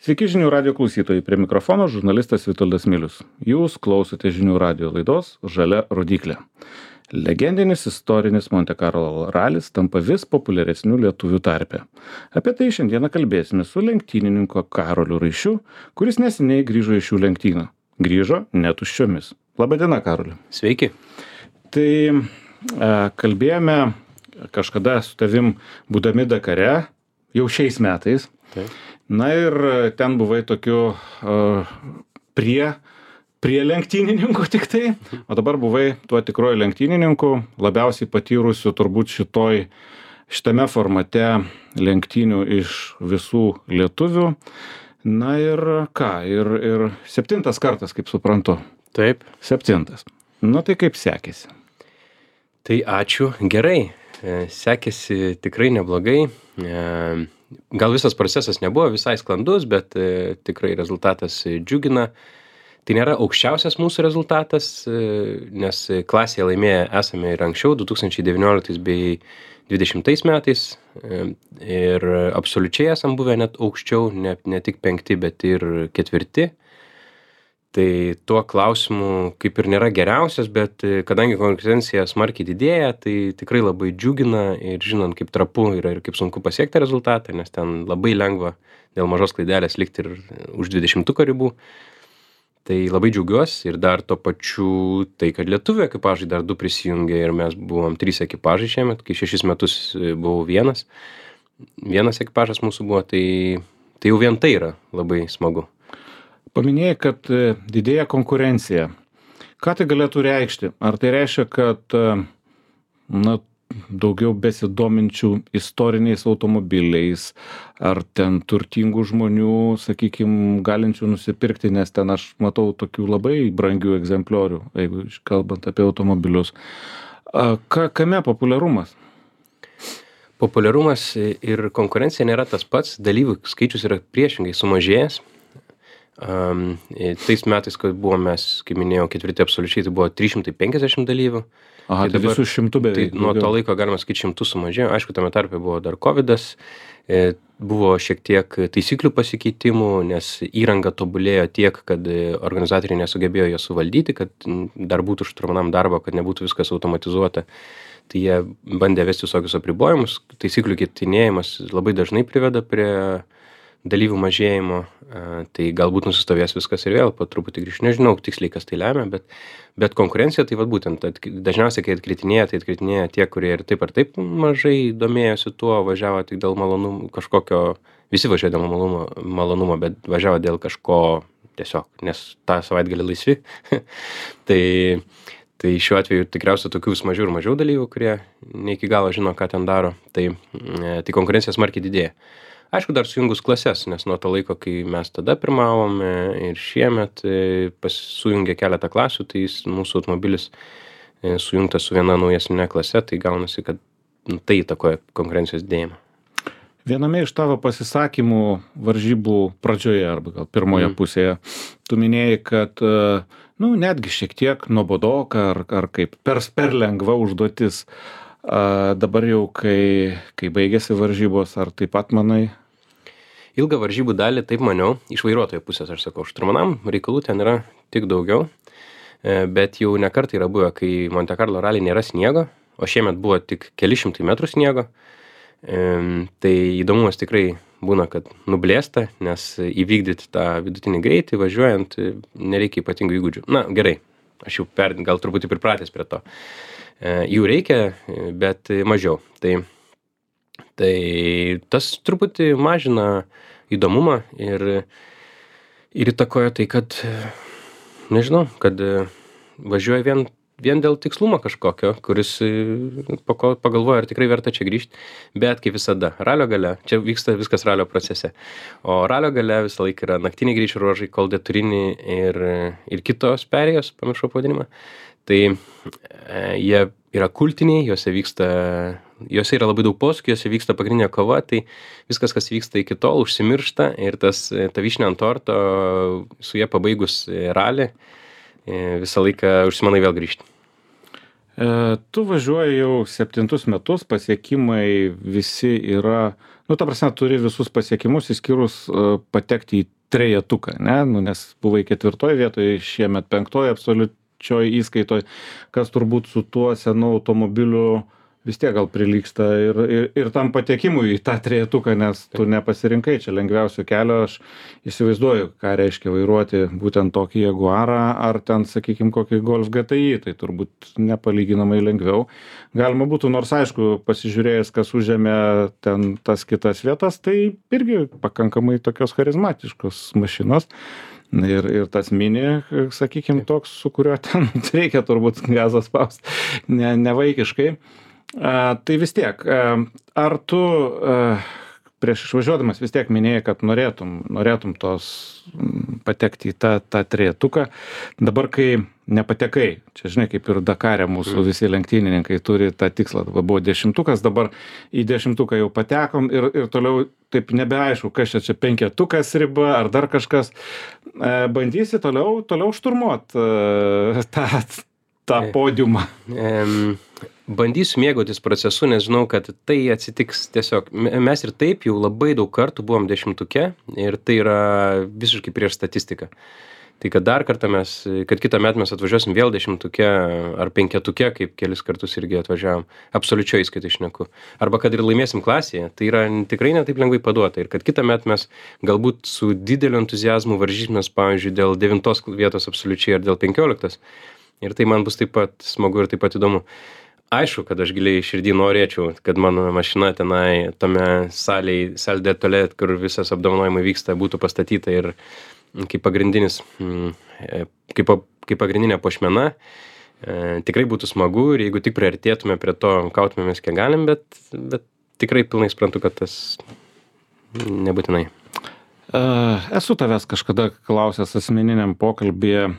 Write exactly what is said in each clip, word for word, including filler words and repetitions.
Sveiki žinių radio klausytojai, prie mikrofono žurnalistas Vitoldas Milius. Jūs klausote žinių radio laidos Žalia rodyklė. Legendinis istorinis Monte Carlo ralis tampa vis populiaresniu lietuvių tarpe. Apie tai šiandieną kalbėsime su lenktynininku Karoliu Raišiu, kuris neseniai grįžo iš šių lenktynių. Grįžo netuščiomis. Labadiena, Karoli. Sveiki. Tai e, kalbėjome kažkada su tavim būdami Dakare, jau šiais metais. Taip. Na ir ten buvai tokiu uh, prie, prie lenktynininkų tik tai, o dabar buvai tuo tikroju lenktynininku, labiausiai patyrusiu turbūt šitoj, šitame formate lenktynių iš visų lietuvių. Na ir ką, ir, ir septintas kartas, kaip suprantu. Taip. Septintas. Nu tai kaip sekėsi? Tai ačiū. Gerai. Sekėsi tikrai neblogai. Gal visas procesas nebuvo visai sklandus, bet e, tikrai rezultatas džiugina. Tai nėra aukščiausias mūsų rezultatas, e, nes klasėje laimėję esame ir anksčiau, du tūkstančiai devynioliktais bei dvidešimtais metais. E, ir absoliučiai esam buvę net aukščiau, ne, ne tik penkti, bet ir ketvirti. Tai tuo klausimu kaip ir nėra geriausias, bet kadangi konkurencija smarkiai didėja, tai tikrai labai džiugina ir žinant, kaip trapu yra ir kaip sunku pasiekti rezultatą, nes ten labai lengva dėl mažos klaidelės likti ir už dvidešimtuko ribų. Tai labai džiaugiuosi ir dar tuo pačiu tai, kad lietuvių ekipažai dar du prisijungė ir mes buvom trys ekipažai šiemet, kai šešis metus buvau vienas. Vienas ekipažas mūsų buvo, tai, tai jau vien tai yra labai smagu. Paminėjai, kad didėja konkurencija. Ką tai galėtų reikšti? Ar tai reiškia, kad na, daugiau besidominčių istoriniais automobiliais, ar ten turtingų žmonių, sakykime, galinčių nusipirkti, nes ten aš matau tokių labai brangių egzempliorių, jeigu kalbant apie automobilius. Ka, kame populiarumas? Populiarumas ir konkurencija nėra tas pats, dalyvių skaičius yra priešingai sumažėjęs. Um, tais metais, kai buvom mes, kaip minėjau, ketvirti absoliučiai, tai buvo trys šimtai penkiasdešimt dalyvių. Aha, tai, tai visų šimtų beveik. Tai nuo to laiko galima sakyti šimtų sumažėjo. Aišku, tame tarpe buvo dar kovidas, e, buvo šiek tiek taisyklių pasikeitimų, nes įranga tobulėjo tiek, kad organizatoriai nesugebėjo ją suvaldyti, kad dar būtų šturmanam darbo, kad nebūtų viskas automatizuota. Tai jie bandė vesti visokius apribojimus. Taisyklių keitinėjimas labai dažnai priveda prie dalyvių mažėjimo, tai galbūt nusistovės viskas ir vėl po truputį grįžti. Nežinau tiksliai, kas tai lemia, bet, bet konkurencija tai vat būtent, dažniausiai, kai atkritinėja, tai atkritinėja tie, kurie ir taip ar taip mažai domėjosi tuo, važiavo tik dėl malonumo kažkokio, visi važiavo dėl malonumo, malonumo, bet važiavo dėl kažko tiesiog, nes tą savaitgalį laisvi. tai, tai šiuo atveju tikriausiai tokių vis mažiau ir mažiau dalyvių, kurie ne iki galo žino, ką ten daro, tai, tai konkurencija smarkiai didėja. Aišku, dar sujungus klases, nes nuo to laiko, kai mes tada pirmavome ir šiemet sujungė keletą klasių, tai mūsų automobilis sujungtas su viena naujesnė klase, tai gaunasi, kad tai įtakoja konkurencijos didėjimą. Viename iš tavo pasisakymų varžybų pradžioje arba gal pirmoje mm. pusėje, tu minėjai, kad nu, netgi šiek tiek nuobodoka ar, ar kaip per, per lengva užduotis. A, dabar jau, kai, kai baigėsi varžybos, ar taip pat manai? Ilgą varžybų dalį taip maniau, iš vairuotojo pusės aš sakau, šturmanam reikalų ten yra tik daugiau, bet jau ne kartą yra buvę, kai Monte Carlo rally nėra sniego, o šiemet buvo tik keli šimtai metrų sniego, tai įdomumas tikrai būna, kad nublėsta, nes įvykdyti tą vidutinį greitį važiuojant nereikia ypatingų įgūdžių. Na gerai, aš jau per, gal truputį pripratęs prie to. Jų reikia, bet mažiau. Tai, tai tas truputį mažina įdomumą ir, ir įtakoja tai, kad, nežinau, kad važiuoja vien, vien dėl tikslumo kažkokio, kuris pagalvoja, ar tikrai verta čia grįžti. Bet kaip visada, ralio gale, čia vyksta viskas ralio procese, o ralio gale visą laiką yra naktiniai greičio ruožai, Col de Turini ir, ir kitos perėjos, pamiršau pavadinimą. Tai e, jie yra kultiniai, juose vyksta, juose yra labai daug posūkių, juose vyksta pagrindinė kova, tai viskas, kas vyksta iki tol, užsimiršta ir tas, ta vyšnia ant torto, su jie pabaigus ralį, e, visą laiką užsimanai vėl grįžti. E, tu važiuoji jau septintus metus, pasiekimai visi yra, nu, ta prasme, turi visus pasiekimus, išskyrus e, patekti į trejetuką, ne, nu, nes buvai ketvirtoje vietoje, šiemet penktoje absoliučioje įskaitoje, kas turbūt su tuo senu automobiliu vis tiek gal prilygsta ir, ir, ir tam patekimui į tą trejetuką, nes tu nepasirinkai čia lengviausio kelio, aš įsivaizduoju, ką reiškia vairuoti būtent tokį Jaguarą ar ten, sakykime, kokį Golf G T I, tai turbūt nepalyginamai lengviau. Galima būtų, nors aišku, pasižiūrėjus, kas užėmė ten tas kitas vietas, tai irgi pakankamai tokios charizmatiškos mašinos. Ir, ir tas mini, sakykime, toks, su kuriuo ten reikia turbūt gazą spausti, ne, nevaikiškai. A, tai vis tiek, a, ar tu a, prieš išvažiuodamas vis tiek minėjai, kad norėtum, norėtum tos m, patekti į tą, tą trejetuką. Dabar, kai nepatekai, čia žinai, kaip ir Dakare mūsų visi lenktynininkai turi tą tikslą, dabar buvo dešimtukas, dabar į dešimtuką jau patekom ir, ir toliau taip nebeaišku, kas čia, čia penketukas riba ar dar kažkas. E, bandysi toliau, toliau šturmuot e, tą, tą podiumą. Em, bandysiu mėgautis procesu, nes žinau, kad tai atsitiks tiesiog. Mes ir taip jau labai daug kartų buvom dešimtuke ir tai yra visiškai prieš statistiką. Tai kad dar kartą mes, kad kitą metą mes atvažiuosim vėl dešimtuke ar penketuke, kaip kelis kartus irgi atvažiavom, absoliučiai įskaitai šneku. Arba kad ir laimėsim klasėje, tai yra tikrai ne taip lengvai paduota. Ir kad kitą metą mes galbūt su dideliu entuziazmu varžysimės, pavyzdžiui, dėl devintos vietos absoliučiai ar dėl penkioliktos. Ir tai man bus taip pat smagu ir taip pat įdomu. Aišku, kad aš giliai širdį norėčiau, kad mano mašina tenai tame salėj, salė de toilette, kur visas apdovanojimai vyksta, būtų pastatyta ir kaip pagrindinis, kaip, kaip pagrindinė puošmena. E, tikrai būtų smagu ir jeigu tik priartėtume prie to, kautumėmės kiek galim, bet, bet tikrai pilnai suprantu, kad tas nebūtinai. E, esu tavęs kažkada klausęs asmeniniam pokalbėje,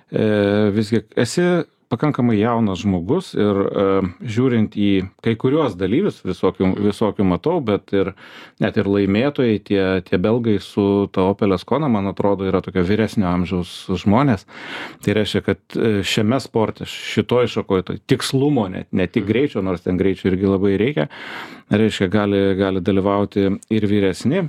e, visgi esi pakankamai jaunas žmogus ir e, žiūrint į kai kuriuos dalyvius, visokių, visokių matau, bet ir net ir laimėtojai, tie, tie belgai su ta Opel Ascona, man atrodo, yra tokio vyresnio amžiaus žmonės. Tai reiškia, kad šiame sporte, šitoj šakoje, tai tikslumo, net ne tik greičio, nors ten greičio irgi labai reikia, reiškia, gali, gali dalyvauti ir vyresni.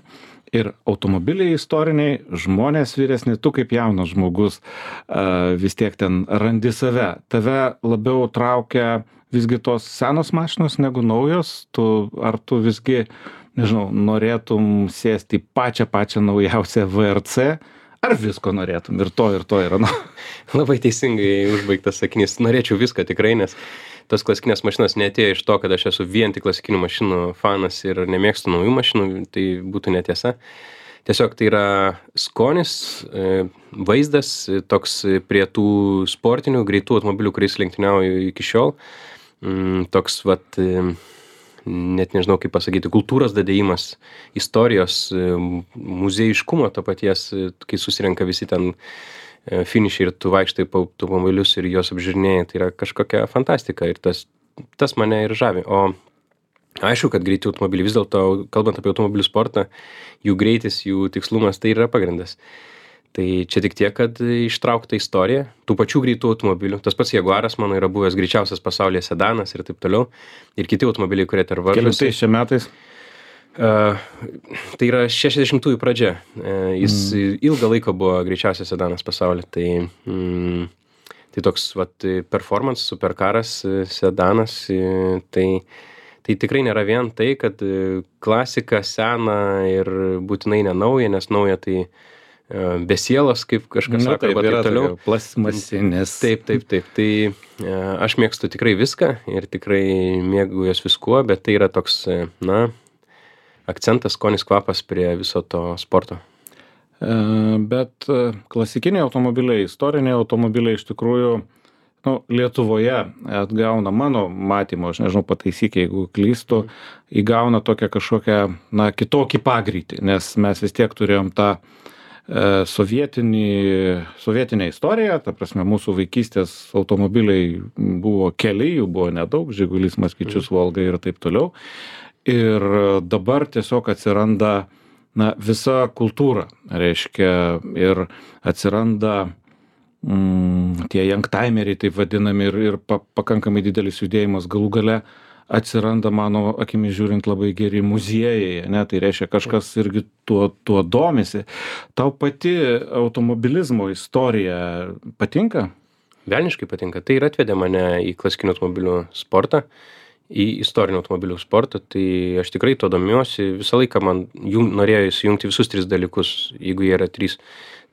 Ir automobiliai istoriniai, žmonės vyresni, tu kaip jaunas žmogus uh, vis tiek ten randi save. Tave labiau traukia visgi tos senos mašinos negu naujos, tu, ar tu visgi, nežinau, norėtum sėsti į pačią pačią naujausią V R C, ar visko norėtum, ir to, ir to yra. Nu. Labai teisingai užbaigtas sakinys. Norėčiau viską tikrai, nes tos klasikinės mašinos neatėjo iš to, kad aš esu vien tik klasikinių mašinų fanas ir nemėgstu naujų mašinų, tai būtų netiesa. Tiesiog tai yra skonis, vaizdas, toks prie tų sportinių, greitų automobilių, kuriais lenktyniauju iki šiol. Toks, vat, net nežinau kaip pasakyti, kultūros dadėjimas, istorijos, muziejiškumo to paties, kai susirenka visi ten finišai ir tu vaikštai po automobilius ir juos apžiūrinėjai, tai yra kažkokia fantastika ir tas, tas mane ir žavi. O aišku, kad greiti automobiliai, vis dėlto, kalbant apie automobilių sportą, jų greitis, jų tikslumas, tai yra pagrindas. Tai čia tik tiek, kad ištraukta istorija, tų pačių greitų automobilių. Tas pats Jaguaras mano yra buvęs greičiausias pasaulyje sedanas ir taip toliau. Ir kiti automobiliai, kurie ter varžosi. Kelintais čia metais? Uh, tai yra šešiasdešimtųjų pradžia. Uh, jis mm. ilgą laiką buvo greičiausias sedanas pasaulyje. Tai, mm, tai toks vat, performance, superkaras, sedanas. Tai, tai tikrai nėra vien tai, kad klasika sena ir būtinai nenauja, nes nauja tai uh, be sielos, kaip kažkas Na, sako, taip, arba taip toliau. Plasmasinės. Taip, taip, taip. Tai uh, aš mėgstu tikrai viską ir tikrai mėgaujuos viskuo, bet tai yra toks, na, akcentas, skonis, kvapas prie viso to sporto. E, bet klasikiniai automobiliai, istoriniai automobiliai iš tikrųjų, nu, Lietuvoje atgauna mano matymo, aš nežinau, pataisyk, jeigu klystu, įgauna tokią kažkokią, na, kitokį pagreitį, nes mes vis tiek turėjom tą e, sovietinį, sovietinę istoriją, ta prasme, mūsų vaikystės automobiliai buvo keli, jų buvo nedaug, Žigulis, Maskvičius, Volga ir taip toliau. Ir dabar tiesiog atsiranda, na, visa kultūra, reiškia, ir atsiranda mm, tie youngtimeriai taip vadinami ir, ir pa, pakankamai didelis judėjimas galų gale atsiranda mano akimis žiūrint labai geri muziejai, ne, tai reiškia kažkas irgi tuo, tuo domisi. Tau pati automobilizmo istorija patinka? Velniškai patinka. Tai ir atvedė mane į klasikinių automobilių sportą, į istorinių automobilių sportą, tai aš tikrai to domiuosi. Visą laiką man jung, norėjo įsijungti visus tris dalykus, jeigu jie yra trys.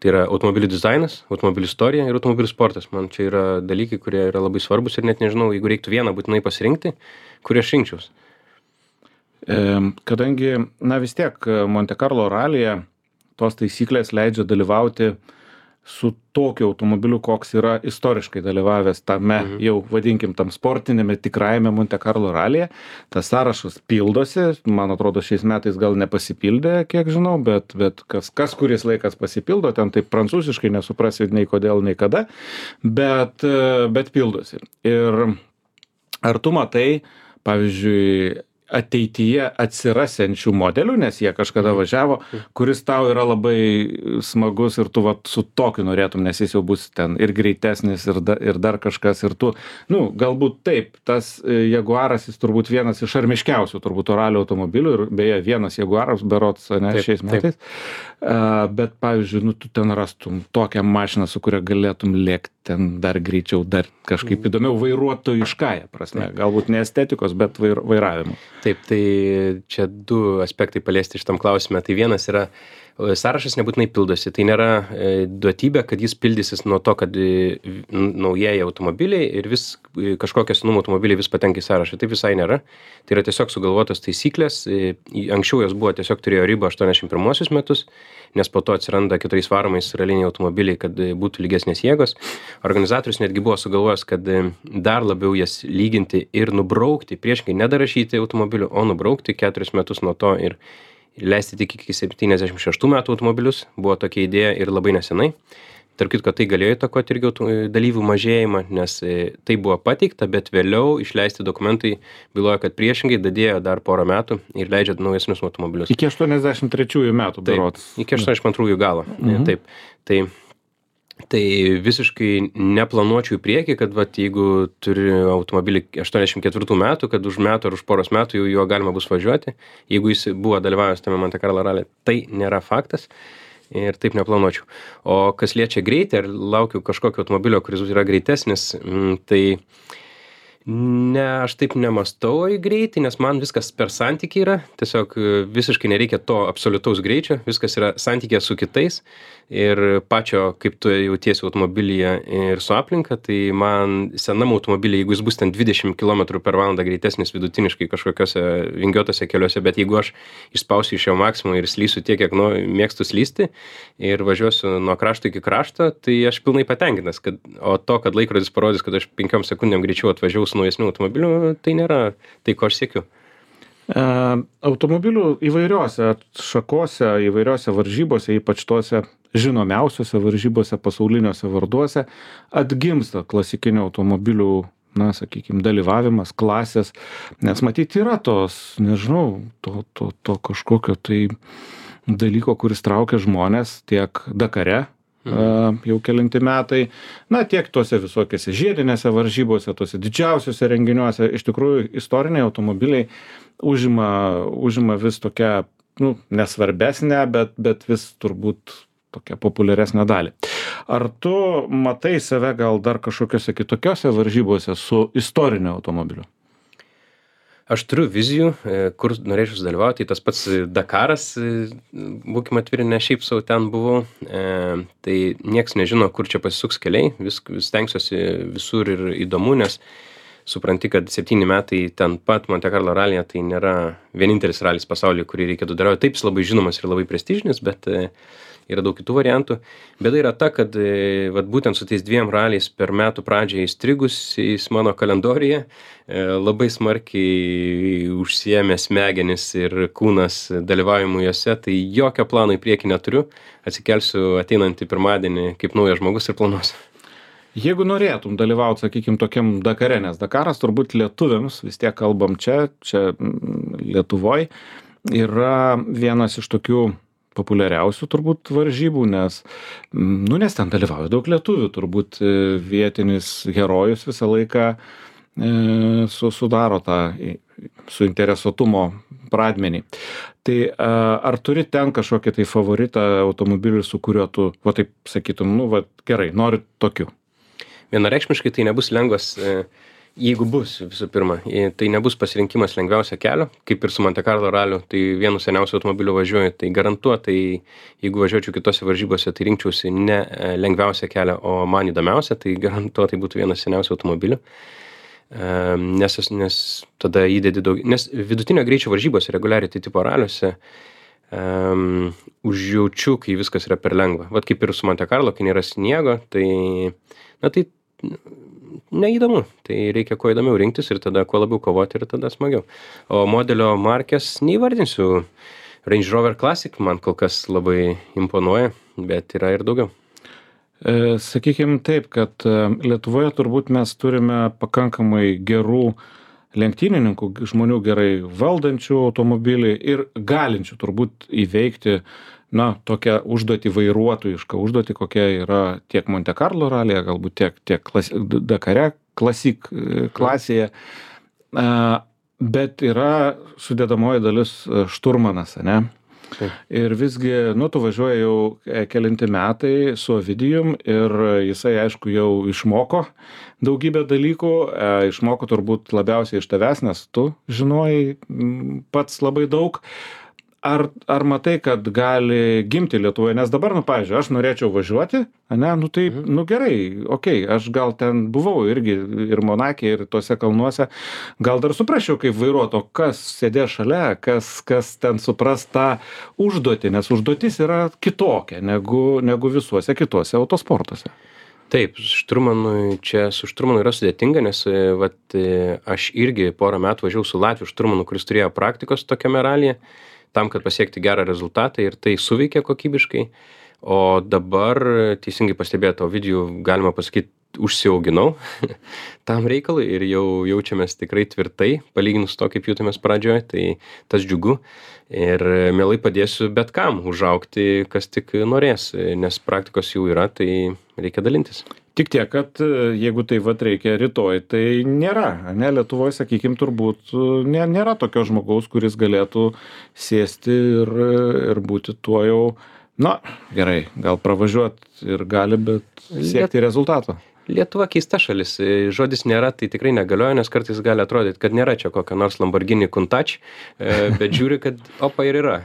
Tai yra automobilių dizainas, automobilių istorija ir automobilių sportas. Man čia yra dalykai, kurie yra labai svarbus ir net nežinau, jeigu reiktų vieną būtinai pasirinkti, kurį aš rinkčiaus. E, kadangi, na vis tiek, Monte Carlo ralyje tos taisyklės leidžia dalyvauti su tokiu automobiliu, koks yra istoriškai dalyvavęs tame, mhm. jau vadinkim, tam sportinėme tikrajame Monte Carlo ralyje. Tas sąrašas pildosi, man atrodo, šiais metais gal nepasipildė, kiek žinau, bet, bet kas, kas kuris laikas pasipildo, ten taip prancūziškai nesuprasi nei kodėl, nei kada, bet, bet pildosi. Ir ar tu matai, pavyzdžiui, ateityje atsirasiančių modelių, nes jie kažkada važiavo, kuris tau yra labai smagus ir tu vat, su tokiu norėtum, nes jis jau bus ten ir greitesnis ir, da, ir dar kažkas ir tu, nu, galbūt taip, tas Jaguaras jis turbūt vienas iš šarmiškiausių turbūt ralio automobilių ir beje vienas Jaguaras berods, ne, taip, šiais metais, uh, bet pavyzdžiui, nu, tu ten rastum tokią mašiną, su kuria galėtum lėkti ten dar greičiau, dar kažkaip įdomiau vairuotojiškąja prasme, galbūt ne estetikos, bet vair, vairavimo. Taip, tai čia du aspektai paliesti šitam klausime. Tai vienas yra, sąrašas nebūtinai pildosi. Tai nėra duotybė, kad jis pildysis nuo to, kad naujieji automobiliai ir vis kažkokie senumo automobiliai vis patenka į sąrašą. Taip visai nėra. Tai yra tiesiog sugalvotos taisyklės. Anksčiau jos buvo tiesiog turėjo ribą aštuoniasdešimt pirmuosius metus, nes po to atsiranda keturiais varomais raliniai automobiliai, kad būtų lygesnės jėgos. Organizatorius netgi buvo sugalvojęs, kad dar labiau jas lyginti ir nubraukti, priešingai nedarašyti automobilių, o nubraukti keturis metus nuo to ir leisti tik iki septyniasdešimt šeštų metų automobilius. Buvo tokia idėja ir labai nesenai. Tarp kitko, tai galėjo įtakoti irgi dalyvių mažėjimą, nes tai buvo pateikta, bet vėliau išleisti dokumentai byloja, kad priešingai dadėjo dar porą metų ir leidžia naujesnius automobilius. Iki aštuoniasdešimt trečiųjų metų berods. Taip, iki aštuoniasdešimt antrųjų galo. Mhm. Taip, tai, tai visiškai neplanuočiau į priekį, kad vat, jeigu turi automobilį aštuoniasdešimt ketvirtų metų, kad už metų ar už poros metų jau juo galima bus važiuoti. Jeigu jis buvo dalyvavęs tame Monte Carlo ralyje, tai nėra faktas. Ir taip neplanuočiau. O kas liečia greitį, ar laukiu kažkokio automobilio, kuris yra greitesnis, tai ne, aš taip nemastau į greitį, nes man viskas per santykį yra. Tiesiog visiškai nereikia to absoliutaus greičio, viskas yra santykė su kitais ir pačio, kaip tu jautiesi automobilyje ir su aplinka, tai man senam automobilyje, jeigu jis bus ten dvidešimt kilometrų per valandą greitesnis vidutiniškai kažkokiose vingiuotose keliuose, bet jeigu aš išspausiu iš jo maksimumą ir slysiu tiek, kiek nu, mėgstu slysti ir važiuosiu nuo krašto iki krašto, tai aš pilnai patenkintas, kad, o to, kad laikrodis parodys, kad aš penkiom sekundėm greičiau atvažiavau su naujesniu automobiliu, tai nėra tai, ko aš siekiu. E, automobilių įvairiose šakose, įvairiose varžybose, ypač tose žinomiausiose varžybose, pasauliniuose varduose, atgimsta klasikinių automobilių, na, sakykime, dalyvavimas, klasės, nes matyti yra tos, nežinau, to, to, to kažkokio tai dalyko, kuris traukia žmonės tiek Dakare, mhm. jau kelinti metai, na, tiek tuose visokiose žiedinėse varžybose, tuose didžiausiuose renginiuose, iš tikrųjų istoriniai automobiliai užima, užima vis tokią, nu, nesvarbesnę, bet, bet vis turbūt tokią populiaresnę dalį. Ar tu matai save gal dar kažkokiose kitokiose varžybose su istoriniu automobiliu? Aš turiu vizijų, kur norėčiau dalyvauti, tas pats Dakaras, būkime atviri, ne šiaip sau ten buvau, e, tai nieks nežino, kur čia pasisuks keliai, vis, vis stengsiuosi visur ir įdomu, nes supranti, kad septyni metai ten pat Monte Carlo ralyje, tai nėra vienintelis ralis pasaulyje, kurį reikėtų dalyvauti. Taip, jis labai žinomas ir labai prestižinis, bet e, yra daug kitų variantų. Bėda yra ta, kad e, vat, būtent su tais dviem raliais per metų pradžią įstrigusiais mano kalendoriuje e, labai smarkiai užsiėmė smegenis ir kūnas dalyvavimu juose, tai jokio plano į priekį neturiu. Atsikelsiu ateinantį pirmadienį kaip naujas žmogus ir planuosiu. Jeigu norėtum dalyvauti, sakykime, tokiam Dakare, nes Dakaras turbūt lietuviams, vis tiek kalbam čia, čia Lietuvoj, yra vienas iš tokių populiariausių turbūt varžybų, nes, nu, nes ten dalyvauja daug lietuvių, turbūt e, vietinis herojus visą laiką e, su, sudaro tą suinteresuotumo pradmenį. Tai a, ar turi ten kažkokį tai favoritą automobilį, su kuriuo tu, va taip sakytum, nu, va gerai, noriu tokiu? Vienareikšmiškai tai nebus lengvas, jeigu bus visų pirma, tai nebus pasirinkimas lengviausio kelio, kaip ir su Monte Carlo raliu, tai vienu seniausiu automobiliu važiuoju, tai garantuotai, jeigu važiuočiau kitose varžybose, tai rinkčiausi ne lengviausią kelią, o man įdomiausia, tai garantuotai būtų vienas seniausių automobilių, nes, nes tada įdedi daug, nes vidutinio greičio varžybose, reguliariai tipo raliuose, um, užjaučiu, kai viskas yra per lengva. Vat kaip ir su Monte Carlo, kai nėra sniego, tai, na tai neįdomu, tai reikia kuo įdomiau rinktis ir tada kuo labiau kovoti ir tada smagiau. O modelio markės neįvardinsiu. Range Rover Classic man kol kas labai imponuoja, bet yra ir daugiau. E, sakykim taip, kad Lietuvoje turbūt mes turime pakankamai gerų lenktynininkų, žmonių gerai valdančių automobilį ir galinčių turbūt įveikti na, tokią užduotį vairuotojišką užduotį, kokia yra tiek Monte Carlo ralyje, galbūt tiek, tiek klasi, Dakare klasik klasėje. Bet yra sudėdamoji dalis šturmanas, ne? Taip. Ir visgi, nu, tu važiuoji jau kelinti metai su Ovidijum ir jisai, aišku, jau išmoko daugybę dalykų, išmoko turbūt labiausiai iš tavęs, nes tu žinojai pats labai daug. Ar, ar matai, kad gali gimti Lietuvoje? Nes dabar, nu, pavyzdžiui, aš norėčiau važiuoti, ne, nu tai, nu gerai, okei, okay, aš gal ten buvau irgi ir Monake, ir tuose kalnuose, gal dar suprasčiau, kaip vairuoto, kas sėdės šalia, kas, kas ten supras tą užduotį, nes užduotis yra kitokia negu, negu visuose kituose autosportuose. Taip, šturmanui, čia su šturmanu yra sudėtinga, nes vat, aš irgi porą metų važiavau su Latviu šturmanu, kuris turėjo praktikos tokiame ralyje, tam, kad pasiekti gerą rezultatą ir tai suveikė kokybiškai. O dabar, teisingai pastebėto, Ovidijų, galima pasakyti, užsiauginau tam reikalui ir jau jaučiamės tikrai tvirtai, palyginus to, kaip jautėmės pradžioje, tai tas džiugu. Ir mielai padėsiu bet kam užaugti, kas tik norės, nes praktikos jau yra, tai reikia dalintis. Tik tiek, kad jeigu tai vat reikia rytoj, tai nėra. Ne, Lietuvoje, sakykime, turbūt nė, nėra tokio žmogaus, kuris galėtų sėsti ir, ir būti tuo jau, na, gerai, gal pravažiuoti ir gali, bet siekti Liet... rezultato. Lietuva keista šalis. Žodis nėra, tai tikrai negalioja, nes kartais gali atrodyti, kad nėra čia kokio nors Lamborghini Countach, bet žiūri, kad opa ir yra.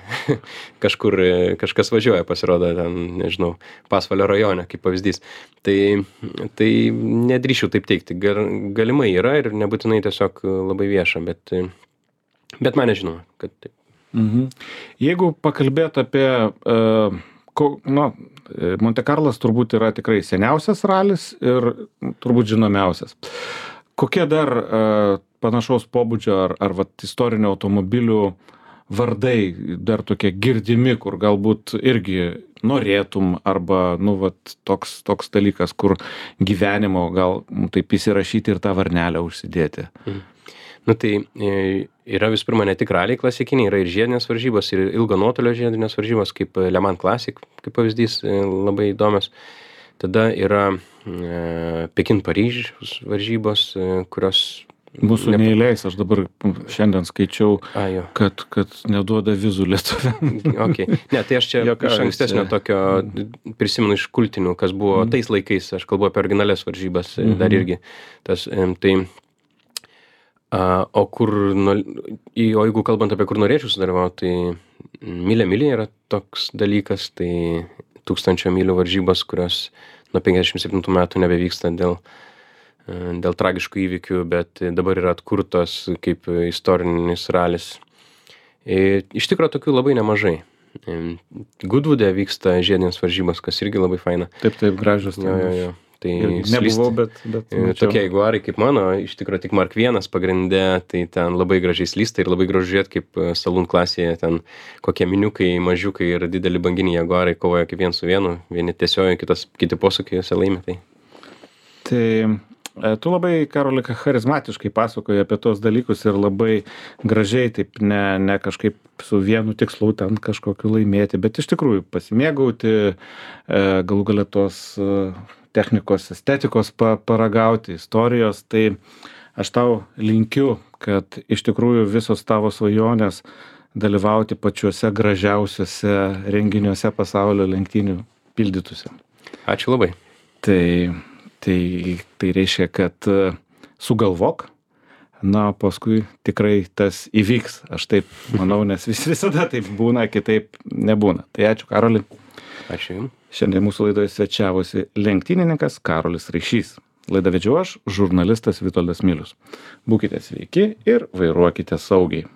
Kažkur kažkas važiuoja, pasirodo, ten, nežinau, Pasvalio rajone, kaip pavyzdys. Tai, tai nedrįšiu taip teikti. Galimai yra ir nebūtinai tiesiog labai vieša, bet, bet man nežinoma, kad taip. Mhm. Jeigu pakalbėt apie... Uh... Na, Monte Carlas turbūt yra tikrai seniausias ralis ir turbūt žinomiausias. Kokie dar uh, panašaus pobūdžio ar, ar vat, istorinio automobilių vardai dar tokie girdimi, kur galbūt irgi norėtum arba, nu, vat, toks, toks dalykas, kur gyvenimo gal taip įsirašyti ir tą varnelę užsidėti? Mhm. Nu tai yra vis pirma ne tik raliai klasikiniai, yra ir žiedinės varžybos, ir ilgo nuotolio žiedinės varžybos, kaip Le Mans Classic, kaip pavyzdys, labai įdomios. Tada yra e, Pekin-Paryžiaus varžybos, kurios... Mūsų ne... neįleis, aš dabar šiandien skaičiau, A, kad, kad neduoda vizų lietuviam. Okay. Ne, tai aš čia Jokavės, iš ankstesnio tokio prisimenu iš kultinių, kas buvo mm. tais laikais, aš kalbu apie originalias varžybas, mm-hmm. dar irgi. Tas, tai... Uh, o kur, nu, o jeigu kalbant apie kur norėčiau sudalyvauti, tai Milė Milė yra toks dalykas, tai tūkstančio mylių varžybos, kurios nuo penkiasdešimt septintų metų nebevyksta dėl, dėl tragiškų įvykių, bet dabar yra atkurtos kaip istorinis ralis. Ir iš tikrųjų tokių labai nemažai. Goodwoode vyksta žiedinės varžybos, kas irgi labai faina. Taip, taip, gražios. Jo, jo, jo. Tai nebuvau, bet, bet tokie jaguarai kaip mano, iš tikrųjų tik Mark vienas pagrinde, tai ten labai gražiai slysta ir labai gražu žiūrėti, kaip Saloon klasėje ten kokie miniukai, mažiukai ir dideli banginiai jaguarai kovoja kaip vien su vienu, vieni tiesioji, kitas, kiti posūkiai juose laimi. Tai, tai E, Tu labai, Karoli, charizmatiškai pasakoji apie tos dalykus ir labai gražiai, taip ne, ne kažkaip su vienu tikslu ten kažkokiu laimėti, bet iš tikrųjų pasimėgauti, e, galų galia tos e, technikos, estetikos pa, paragauti, istorijos. Tai aš tau linkiu, kad iš tikrųjų visos tavo svajonės dalyvauti pačiuose gražiausiuose renginiuose pasaulio lenktynių pildytųsi. Ačiū labai. Tai Tai, tai reiškia, kad e, sugalvok, na, paskui tikrai tas įvyks. Aš taip manau, nes vis, visada taip būna, kitaip nebūna. Tai ačiū, Karoli. Ačiū Jums. Šiandien mūsų laidoje svečiavosi lenktynininkas Karolis Raišys. Laidą vedžiau aš, žurnalistas Vitoldas Milius. Būkite sveiki ir vairuokite saugiai.